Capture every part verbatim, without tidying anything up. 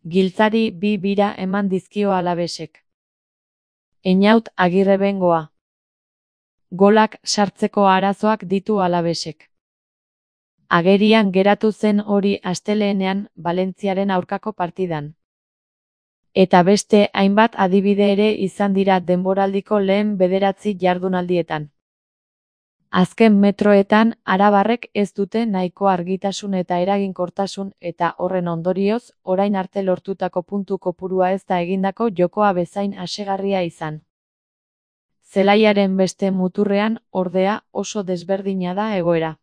Giltzari bi bira eman dizkio Alavesek. Einaut Agirrebengoa. Golak sartzeko arazoak ditu Alavesek. Agerian geratu zen hori astelehenean Valentziaren aurkako partidan. Eta beste hainbat adibide ere izan dira denboraldiko lehen bederatzi jardunaldietan. Azken metroetan arabarrek ez dute nahiko argitasun eta eraginkortasun eta horren ondorioz orain arte lortutako puntu kopurua ez da egindako jokoa bezain asegarria izan. Zelaiaren beste muturrean, ordea, oso desberdina da egoera.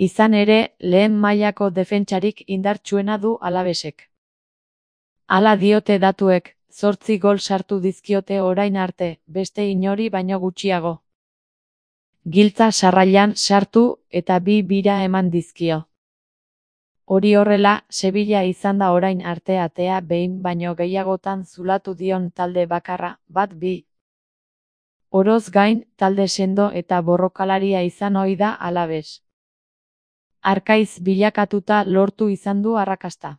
Izan ere, lehen mailako defentsarik indartsuena du Alavesek. Hala diote datuek, zortzi gol sartu dizkiote orain arte, beste inori baino gutxiago. Giltza sarrailan sartu eta bi bira eman dizkio. Hori horrela, Sevilla izan da orain arte atea behin baino gehiagotan zulatu dion talde bakarra, bat bi. Oroz gain, talde sendo eta borrokalaria izan ohi da Alaves. Arkaiz bilakatuta lortu izan du arrakasta.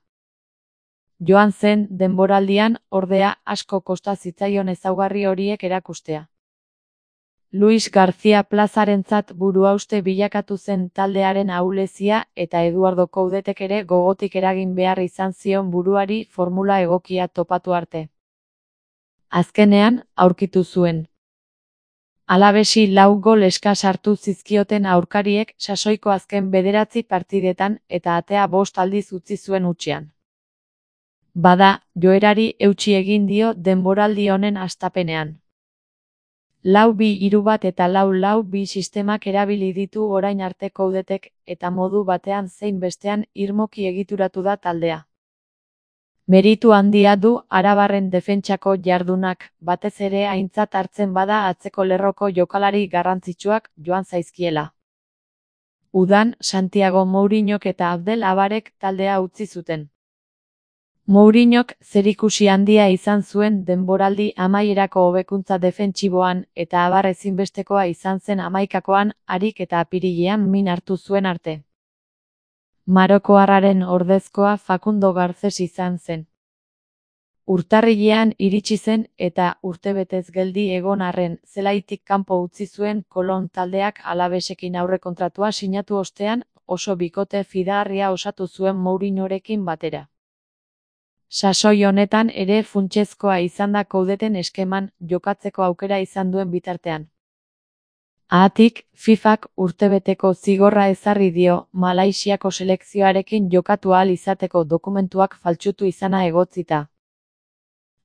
Joan zen denboraldian, ordea, asko kosta zitzaion ezaugarri horiek erakustea. Luis García Plazarentzat buruhauste bilakatu zen taldearen ahulezia eta Eduardo Coudetek ere gogotik eragin behar izan zion buruari formula egokia topatu arte. Azkenean, aurkitu zuen. Alavesi lau gol eskas sartu zizkioten aurkariek sasoiko azken bederatzi partidetan eta atea bost aldiz utzi zuen hutsean. Bada, joerari eutsi egin dio denboraldi honen hastapenean. Lau bi hiru bat eta lau lau bi sistemak erabili ditu orain arte Coudetek eta modu batean zein bestean irmoki egituratu da taldea. Meritu handia du arabarren defentsako jardunak, batez ere aintzat hartzen bada atzeko lerroko jokalari garrantzitsuak joan zaizkiela. Udan, Santiago Mourinhok eta Abdel Abarek taldea utzi zuten. Mourinhok zerikusi handia izan zuen denboraldi amaierako hobekuntza defentsiboan eta Abar ezinbestekoa izan zen hamaikakoan, harik eta apirilean min hartu zuen arte. Marokoarraren ordezkoa Facundo Garcés izan zen. Urtarrilean iritsi zen eta urtebetez geldi egon arren zelaitik kanpo utzi zuen Kolon taldeak Alavesekin aurrekontratua sinatu ostean, oso bikote fidagarria osatu zuen Mourinhorekin batera. Sasoi honetan ere funtsezkoa izan da Coudeten eskeman jokatzeko aukera izan duen bitartean. Haatik, FIFak urtebeteko zigorra ezarri dio Malaisiako selekzioarekin jokatu ahal izateko dokumentuak faltsutu izana egotzita.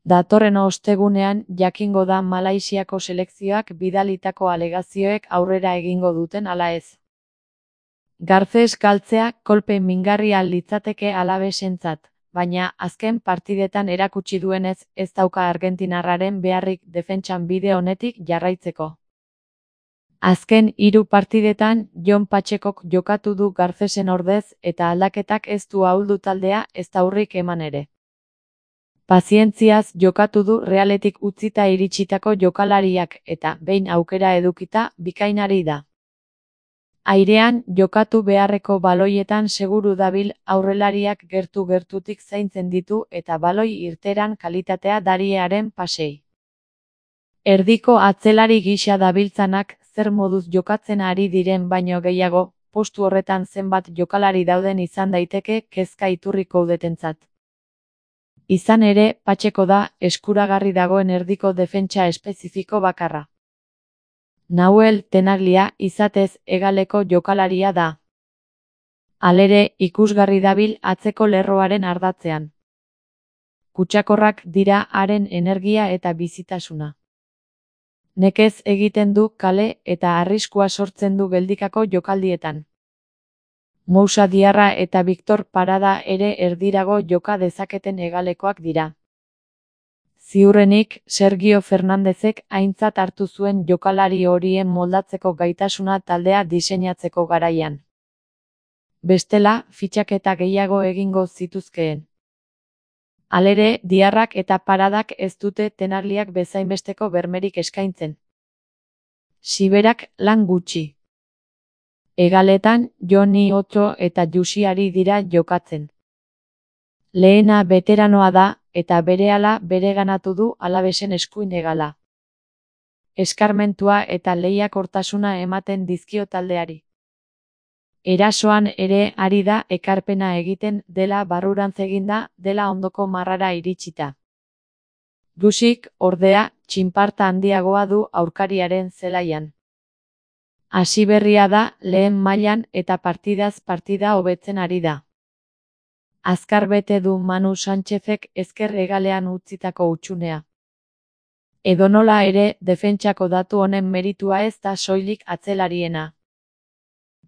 Datorren ostegunean jakingo da Malaisiako selekzioak bidalitako alegazioek aurrera egingo duten ala ez. Garcés galtzea kolpe mingarria litzateke Alavesentzat, baina azken partidetan erakutsi duenez ez dauka argentinarraren beharrik defentsan bide honetik jarraitzeko. Azken hiru partidetan Jon Pachekok jokatu du Garcésen ordez eta aldaketak ez du ahuldu taldea ez aurrik eman ere. Pazientziaz jokatu du Realetik utzita iritsitako jokalariak eta behin aukera edukita bikainari da. Airean jokatu beharreko baloietan seguru dabil aurrelariak gertu-gertutik zaintzen ditu eta baloi irteran kalitatea dariearen pasei. Erdiko atzelari gisa dabiltzanak zer moduz jokatzen ari diren baino gehiago, postu horretan zenbat jokalari dauden izan daiteke kezka iturri Coudetentzat. Izan ere, Pacheco da eskuragarri dagoen erdiko defentsa espezifiko bakarra. Nahuel Tenaglia izatez hegaleko jokalaria da. Halere, ikusgarri dabil atzeko lerroaren ardatzean. Kutsakorrak dira haren energia eta bizitasuna. Nekez egiten du kale eta arriskua sortzen du geldikako jokaldietan. Moussa Diarra eta Victor Parada ere erdirago joka dezaketen hegalekoak dira. Ziurrenik, Sergio Fernandezek aintzat hartu zuen jokalari horien moldatzeko gaitasuna taldea diseinatzeko garaian. Bestela, fitxaketa gehiago egingo zituzkeen. Halere, Diarrak eta Paradak ez dute Tenagliak bezainbesteko bermerik eskaintzen. Siberak lan gutxi. Hegaletan, Joni Otto eta Jusiari dira jokatzen. Lehena beteranoa da, eta berehala bereganatu du Alavesen eskuin hegala. Eskarmentua eta lehiakortasuna ematen dizkio taldeari. Erasoan ere ari da ekarpena egiten dela barrurantz eginda dela ondoko marrara iritsita. Dusik, ordea, txinparta handiagoa du aurkariaren zelaian. Hasi berria da lehen mailan eta partidaz partida hobetzen ari da. Azkar bete du Manu Sánchezek ezker hegalean utzitako hutsunea. Edonola ere, defentsako datu honen meritua ez da soilik atzelariena.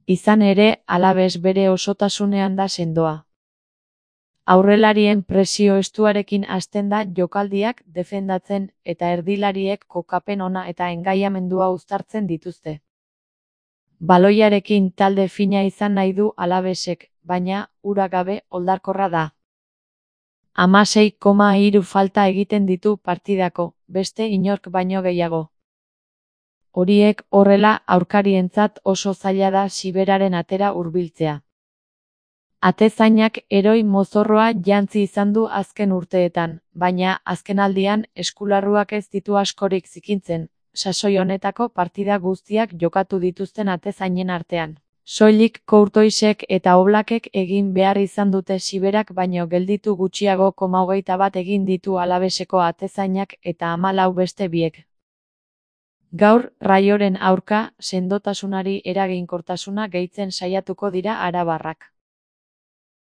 Izan ere, Alaves bere osotasunean da sendoa. Aurrelarien presio estuarekin hasten da jokaldiak defendatzen eta erdilariek kokapen ona eta engaiamendua uztartzen dituzte. Baloiarekin talde fina izan nahi du Alavesek, baina, hura gabe oldarkorra da. Hamasei koma hiru falta egiten ditu partidako, beste inork baino gehiago. Horiek horrela aurkarientzat oso zaila da Siberaren atera hurbiltzea. Atezainak eroi mozorroa jantzi izan du azken urteetan, baina azkenaldian eskularruak ez ditu askorik zikintzen, sasoi honetako partida guztiak jokatu dituzten atezainen artean. Soilik Courtoisek eta Oblakek egin behar izan dute Siberak baino gelditu gutxiago koma hogeita bat egin ditu Alaveseko atezainak eta hamalau beste biek. Gaur, Raioren aurka, sendotasunari eraginkortasuna gehitzen saiatuko dira arabarrak.